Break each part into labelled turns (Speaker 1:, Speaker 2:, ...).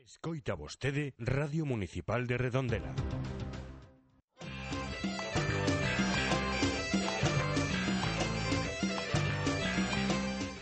Speaker 1: Escoita vostede Radio Municipal de Redondela.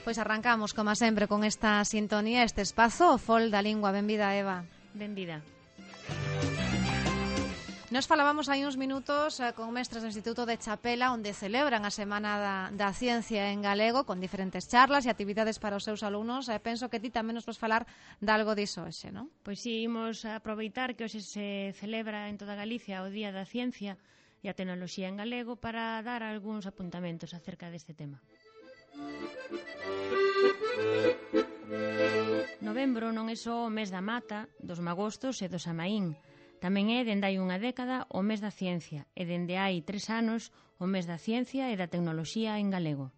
Speaker 2: Pois arrancamos, como sempre, con esta sintonía, este espazo, o Fol da Lingua. Benvida, Eva.
Speaker 3: Benvida.
Speaker 2: Nos falábamos hai uns minutos con mestres do Instituto de Chapela, onde celebran a Semana da Ciencia en galego, con diferentes charlas e actividades para os seus alumnos. Penso que ti tamén nos vas falar de algo diso hoxe, non?
Speaker 3: Pois sí, imos aproveitar que hoxe se celebra en toda Galicia o Día da Ciencia e a Tecnoloxía en galego para dar algúns apuntamentos acerca deste tema. Novembro non é só o mes da mata, dos magostos e do Samaín. Tamén é, dende hai unha década, o mes da ciencia e dende hai 3 anos o mes da ciencia e da tecnoloxía en galego.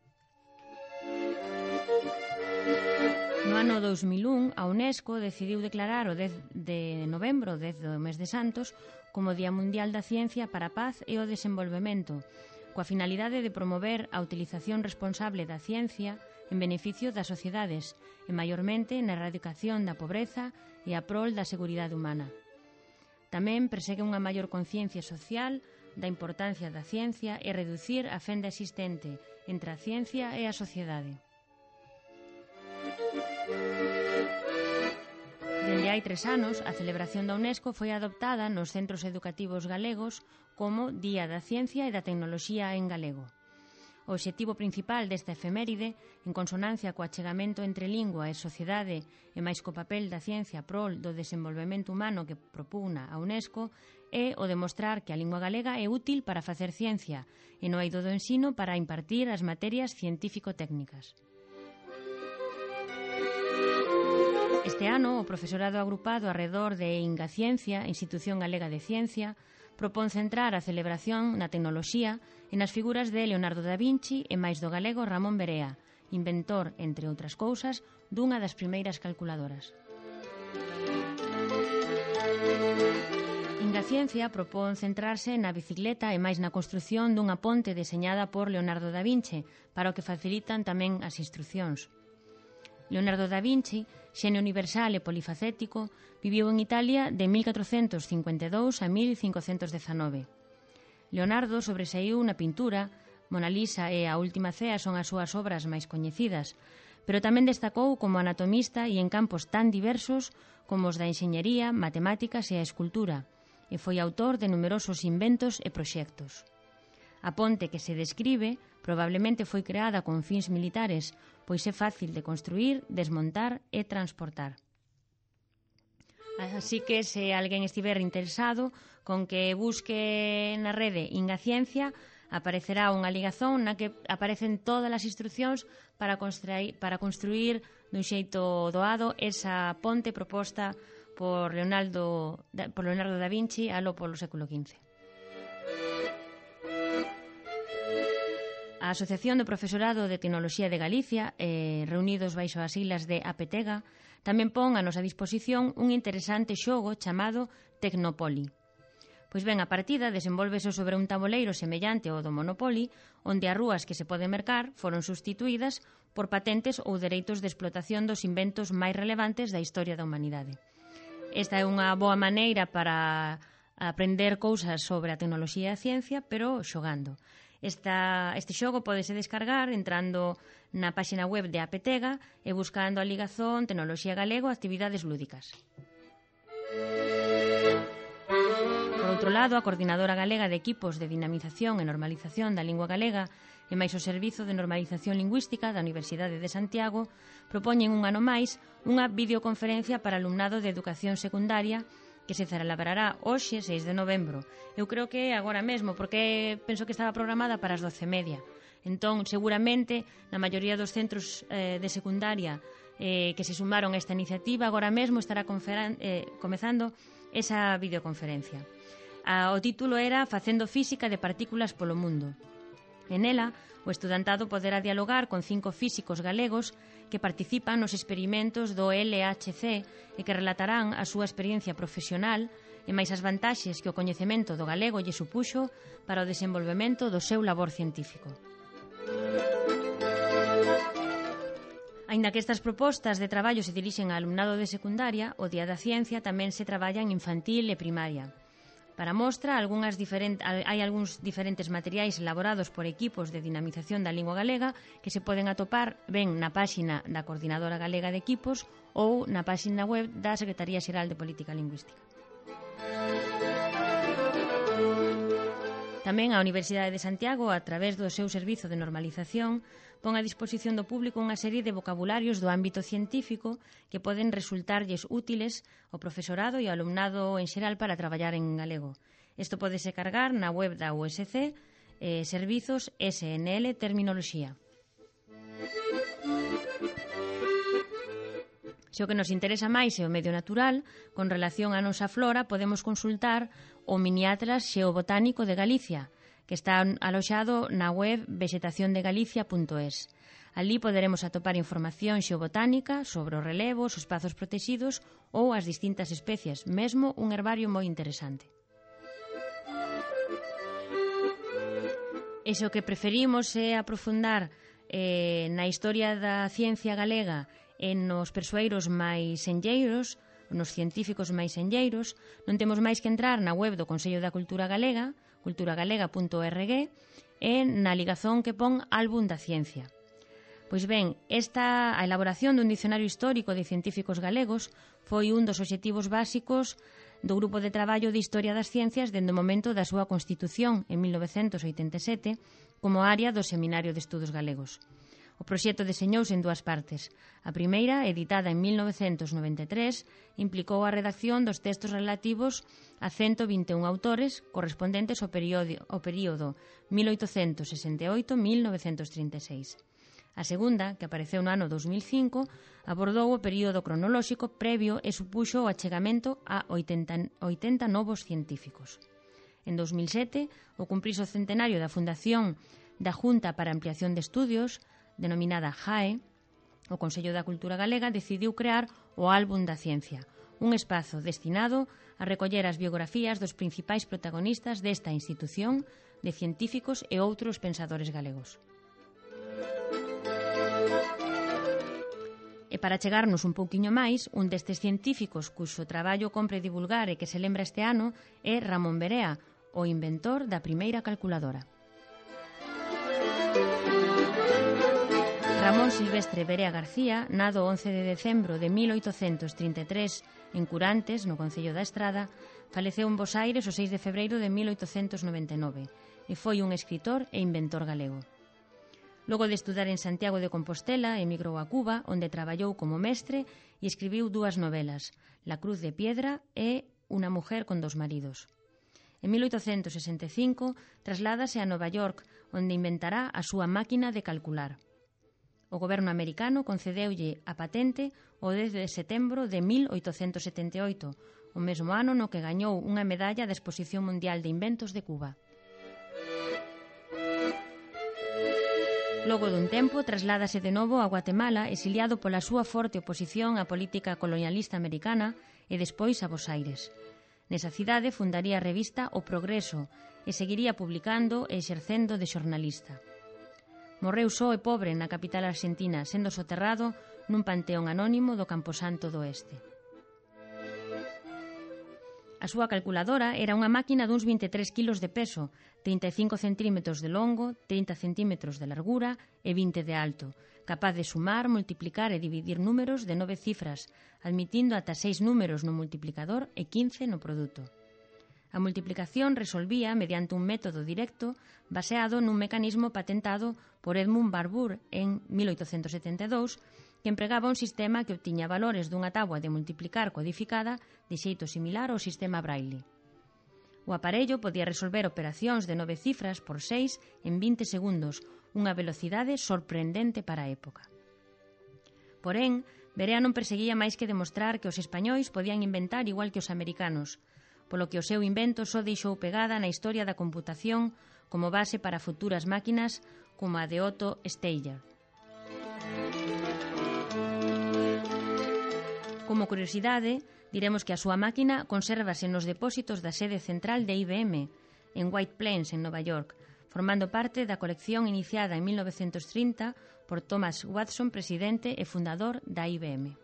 Speaker 3: No ano 2001, a UNESCO decidiu declarar o 10 de novembro, o 10 do mes de Santos, como Día Mundial da Ciencia para a Paz e o Desenvolvemento, coa finalidade de promover a utilización responsable da ciencia en beneficio das sociedades e, maiormente, na erradicación da pobreza e a prol da seguridade humana. Tamén persegue unha maior conciencia social da importancia da ciencia e reducir a fenda existente entre a ciencia e a sociedade. Dende hai 3 anos, a celebración da UNESCO foi adoptada nos centros educativos galegos como Día da Ciencia e da Tecnoloxía en galego. O obxectivo principal desta efeméride, en consonancia co achegamento entre lingua e sociedade e máis co papel da ciencia prol do desenvolvemento humano que propugna a UNESCO, é o demostrar que a lingua galega é útil para facer ciencia e no eido do ensino para impartir as materias científico-técnicas. Este ano, o profesorado agrupado arredor de Ingaciencia, Institución Galega de Ciencia, propón centrar a celebración na tecnoloxía e nas figuras de Leonardo da Vinci e máis do galego Ramón Berea, inventor, entre outras cousas, dunha das primeiras calculadoras. Ingaciencia propón centrarse na bicicleta e máis na construción dunha ponte deseñada por Leonardo da Vinci, para o que facilitan tamén as instruccións. Leonardo da Vinci, xenio universal e polifacético, viviu en Italia de 1452 a 1519. Leonardo sobresaiu na pintura, Mona Lisa e A Última Cea son as súas obras máis coñecidas, pero tamén destacou como anatomista e en campos tan diversos como os da enxeñería, matemáticas e a escultura, e foi autor de numerosos inventos e proxectos. A ponte que se describe probablemente foi creada con fins militares, pois é fácil de construir, desmontar e transportar. Así que, se alguén estiver interesado, con que busque na rede Ingaciencia, aparecerá unha ligazón na que aparecen todas as instruccións para construir dun xeito doado esa ponte proposta por Leonardo da Vinci alo polo século XV. A Asociación do Profesorado de Tecnoloxía de Galicia, reunidos baixo as siglas de APTEGA, tamén pon a nosa disposición un interesante xogo chamado Tecnopoli. Pois ben, a partida desenvolvese sobre un tabuleiro semellante ao do Monopoly, onde as rúas que se poden mercar foron sustituídas por patentes ou dereitos de explotación dos inventos máis relevantes da historia da humanidade. Esta é unha boa maneira para aprender cousas sobre a tecnoloxía e a ciencia, pero xogando. Este xogo pódese descargar entrando na páxina web de APTEGA e buscando a ligazón Tecnoloxía Galego Actividades Lúdicas. Por outro lado, a Coordinadora Galega de Equipos de Dinamización e Normalización da Lingua Galega e máis o Servizo de Normalización Lingüística da Universidade de Santiago propoñen un ano máis unha videoconferencia para alumnado de educación secundaria que se celebrará hoxe, 6 de novembro. Eu creo que agora mesmo, porque penso que estaba programada para as 12:30. Entón, seguramente, na maioría dos centros de secundaria que se sumaron a esta iniciativa, agora mesmo estará comezando esa videoconferencia. O título era Facendo física de partículas polo mundo. En ela, o estudantado poderá dialogar con 5 físicos galegos que participan nos experimentos do LHC e que relatarán a súa experiencia profesional e máis as vantaxes que o coñecemento do galego lle supuxo para o desenvolvemento do seu labor científico. Aínda que estas propostas de traballo se dirixen ao alumnado de secundaria, o Día da Ciencia tamén se traballa en infantil e primaria. Para mostra, hai algúns diferentes materiais elaborados por equipos de dinamización da lingua galega que se poden atopar ben na páxina da Coordinadora Galega de Equipos ou na páxina web da Secretaría Xeral de Política Lingüística. Tamén a Universidade de Santiago, a través do seu servizo de normalización, pon a disposición do público unha serie de vocabularios do ámbito científico que poden resultarlles útiles ao profesorado e ao alumnado en xeral para traballar en galego. Isto podese cargar na web da USC, Servizos SNL Terminoloxía. Se o que nos interesa máis é o medio natural, con relación á nosa flora, podemos consultar o miniatlas xeobotánico de Galicia, que está aloxado na web vexetaciondegalicia.es. Alí poderemos atopar información xeobotánica sobre os relevos, os espazos protexidos ou as distintas especies, mesmo un herbario moi interesante. E se o que preferimos é aprofundar na historia da ciencia galega e nos persoeiros máis enlleiros, nos científicos máis enlleiros, non temos máis que entrar na web do Consello da Cultura Galega, culturagalega.org, e na ligazón que pon Álbum da Ciencia. Pois ben, a elaboración dun dicionario histórico de científicos galegos foi un dos obxectivos básicos do Grupo de Traballo de Historia das Ciencias dende o momento da súa constitución en 1987 como área do Seminario de Estudos Galegos. O proxecto deseñouse en dúas partes. A primeira, editada en 1993, implicou a redacción dos textos relativos a 121 autores correspondentes ao período 1868-1936. A segunda, que apareceu no ano 2005, abordou o período cronolóxico previo e supuxo o achegamento a 80 novos científicos. En 2007, o cumprirse o centenario da fundación da Junta para a Ampliación de Estudios, denominada JAE, o Consello da Cultura Galega decidiu crear o Álbum da Ciencia, un espazo destinado a recoller as biografías dos principais protagonistas desta institución de científicos e outros pensadores galegos. E para chegarnos un pouquiño máis, un destes científicos cuxo traballo compre divulgar e que se lembra este ano é Ramón Berea, o inventor da primeira calculadora. Ramón Silvestre Berea García, nado 11 de decembro de 1833 en Curantes, no concello da Estrada, faleceu en Bos Aires o 6 de febreiro de 1899 e foi un escritor e inventor galego. Logo de estudar en Santiago de Compostela, emigrou a Cuba, onde traballou como mestre e escribiu dúas novelas, La Cruz de Piedra e Una mujer con dos maridos. En 1865 trasládase a Nova York, onde inventará a súa máquina de calcular. O goberno americano concedeulle a patente o 10 de setembro de 1878, o mesmo ano no que gañou unha medalla da Exposición Mundial de Inventos de Cuba. Logo dun tempo, trasládase de novo a Guatemala, exiliado pola súa forte oposición á política colonialista americana e despois a Bos Aires. Nesa cidade fundaría a revista O Progreso e seguiría publicando e exercendo de xornalista. Morreu só e pobre na capital argentina, sendo soterrado nun panteón anónimo do Camposanto do Oeste. A súa calculadora era unha máquina duns 23 kilos de peso, 35 centímetros de longo, 30 centímetros de largura e 20 de alto, capaz de sumar, multiplicar e dividir números de 9 cifras, admitindo ata 6 números no multiplicador e 15 no produto. A multiplicación resolvía mediante un método directo baseado nun mecanismo patentado por Edmund Barbour en 1872, que empregaba un sistema que obtiña valores dunha táboa de multiplicar codificada de xeito similar ao sistema Braille. O aparello podía resolver operacións de 9 cifras por 6 en 20 segundos, unha velocidade sorprendente para a época. Porén, Berea non perseguía máis que demostrar que os españois podían inventar igual que os americanos, polo que o seu invento só deixou pegada na historia da computación como base para futuras máquinas como a de Otto Steyer. Como curiosidade, diremos que a súa máquina consérvase nos depósitos da sede central de IBM, en White Plains, en Nova York, formando parte da colección iniciada en 1930 por Thomas Watson, presidente e fundador da IBM.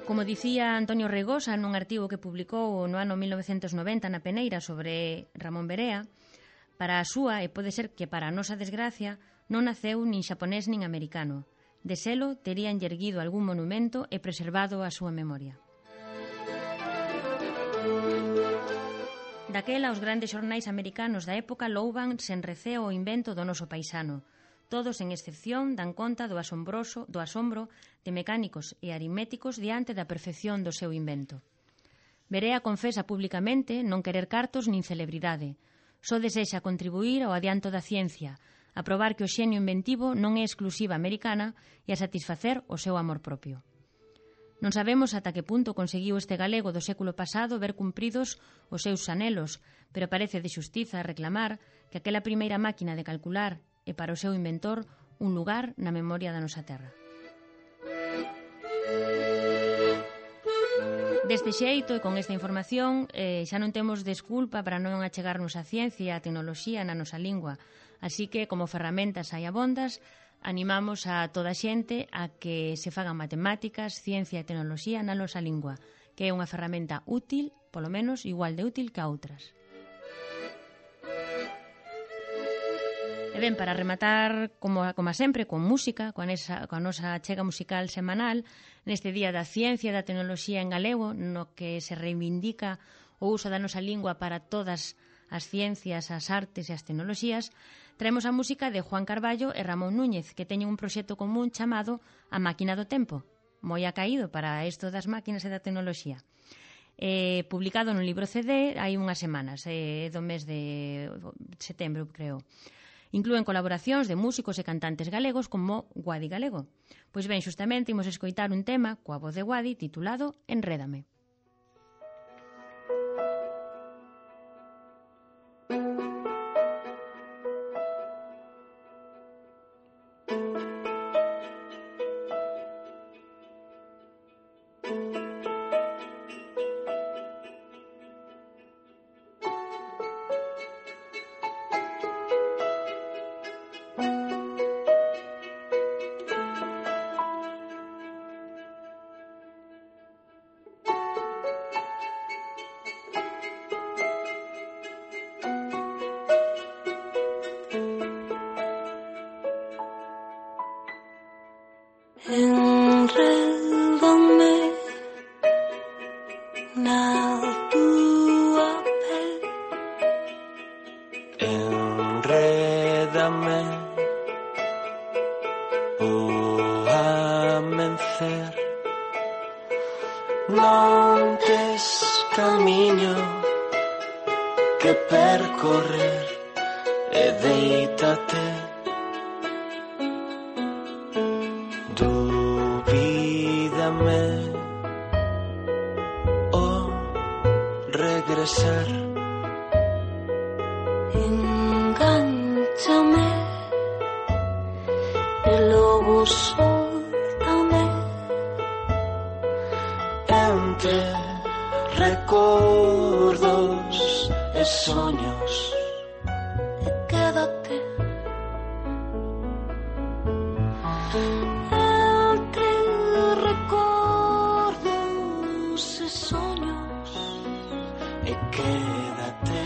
Speaker 3: Como dicía Antonio Reigosa nun artigo que publicou no ano 1990 na Peneira sobre Ramón Berea, para a súa, e pode ser que para a nosa desgracia, non naceu nin xaponés nin americano. De selo, terían erguido algún monumento e preservado a súa memoria. Daquela, os grandes xornais americanos da época louban sen receo o invento do noso paisano. Todos, en excepción, dan conta do asombro de mecánicos e aritméticos diante da perfección do seu invento. Berea confesa públicamente non querer cartos nin celebridade. Só desexa contribuir ao adianto da ciencia, a probar que o xenio inventivo non é exclusiva americana e a satisfacer o seu amor propio. Non sabemos ata que punto conseguiu este galego do século pasado ver cumpridos os seus anelos, pero parece de xustiza reclamar que aquela primeira máquina de calcular e para o seu inventor un lugar na memoria da nosa terra. Deste xeito e con esta información xa non temos desculpa para non achegarnos a ciencia e a tecnoloxía na nosa lingua, así que como ferramentas hai abondas, animamos a toda a xente a que se fagan matemáticas, ciencia e tecnoloxía na nosa lingua, que é unha ferramenta útil, polo menos igual de útil que a outras. E ben, para rematar, como sempre, con música, coa nosa chega musical semanal, neste Día da Ciencia e da Tecnoloxía en galego, no que se reivindica o uso da nosa lingua para todas as ciencias, as artes e as tecnoloxías, traemos a música de Juan Carballo e Ramón Núñez, que teñen un proxecto común chamado A Máquina do Tempo, moi acaído para isto das máquinas e da tecnoloxía. Publicado nun libro CD hai unhas semanas, do mes de setembro, creo. Inclúen colaboracións de músicos e cantantes galegos como Guadi Galego. Pois ben, xustamente imos escoitar un tema coa voz de Guadi titulado Enrédame.
Speaker 4: Enrédame na túa pel, enrédame o amencer, non tes camiño que percorrer e deítate. Dubídame o regresar, engánchame e logo soltame entre recordos e soños e quédate. Entre recordos e soños e quédate.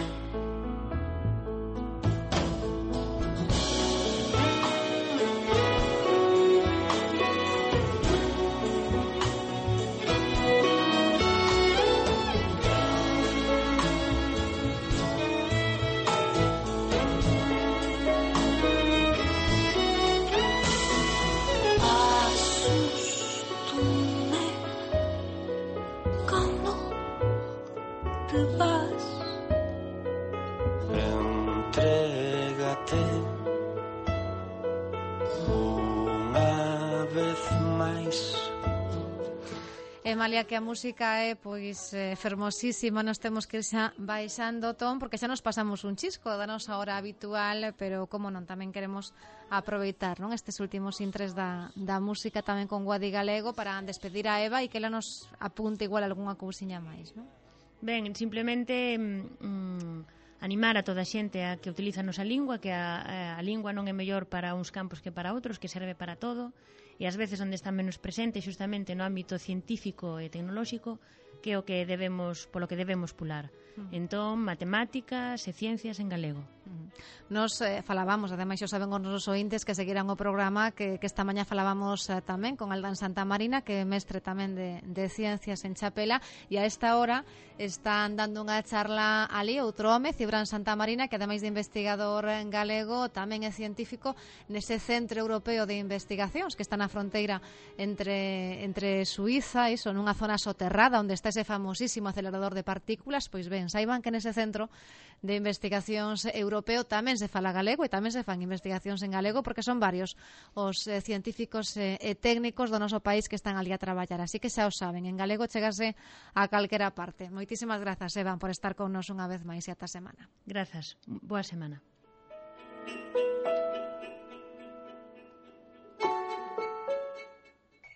Speaker 4: Asústome cando te vas, entrégate unha vez máis.
Speaker 2: E malia que a música é pois fermosísima, nos temos que ir xa baixando o ton porque xa nos pasamos un chisco da nosa hora habitual, pero como non, tamén queremos aproveitar, non, estes últimos intres da música tamén con Guadi Galego para despedir a Eva e que ela nos apunte igual algunha cousiña máis, non?
Speaker 3: Ben, simplemente animar a toda a xente a que utiliza a nosa lingua, que a lingua non é mellor para uns campos que para outros, que serve para todo, e ás veces onde está menos presente xustamente no ámbito científico e tecnolóxico, que é o que polo que debemos pular. Entón, matemáticas e ciencias en galego.
Speaker 2: Nos falábamos, ademais, xo saben os nosos ointes que seguirán o programa que esta mañá falábamos tamén con Aldán Santamarina, que é mestre tamén de ciencias en Chapela, e a esta hora están dando unha charla ali outro home, Cibrán Santamarina, que ademais de investigador en galego tamén é científico nese Centro Europeo de Investigacións que está na fronteira entre Suiza, iso, nunha zona soterrada onde está ese famosísimo acelerador de partículas. Pois ben, saiban que nese Centro de Investigacións Europeo tamén se fala galego e tamén se fan investigacións en galego, porque son varios os científicos e técnicos do noso país que están ali a traballar, así que xa o saben, en galego chegase a calquera parte. Moitísimas grazas, Evan, por estar con nos unha vez máis e ata semana.
Speaker 3: Grazas, boa semana.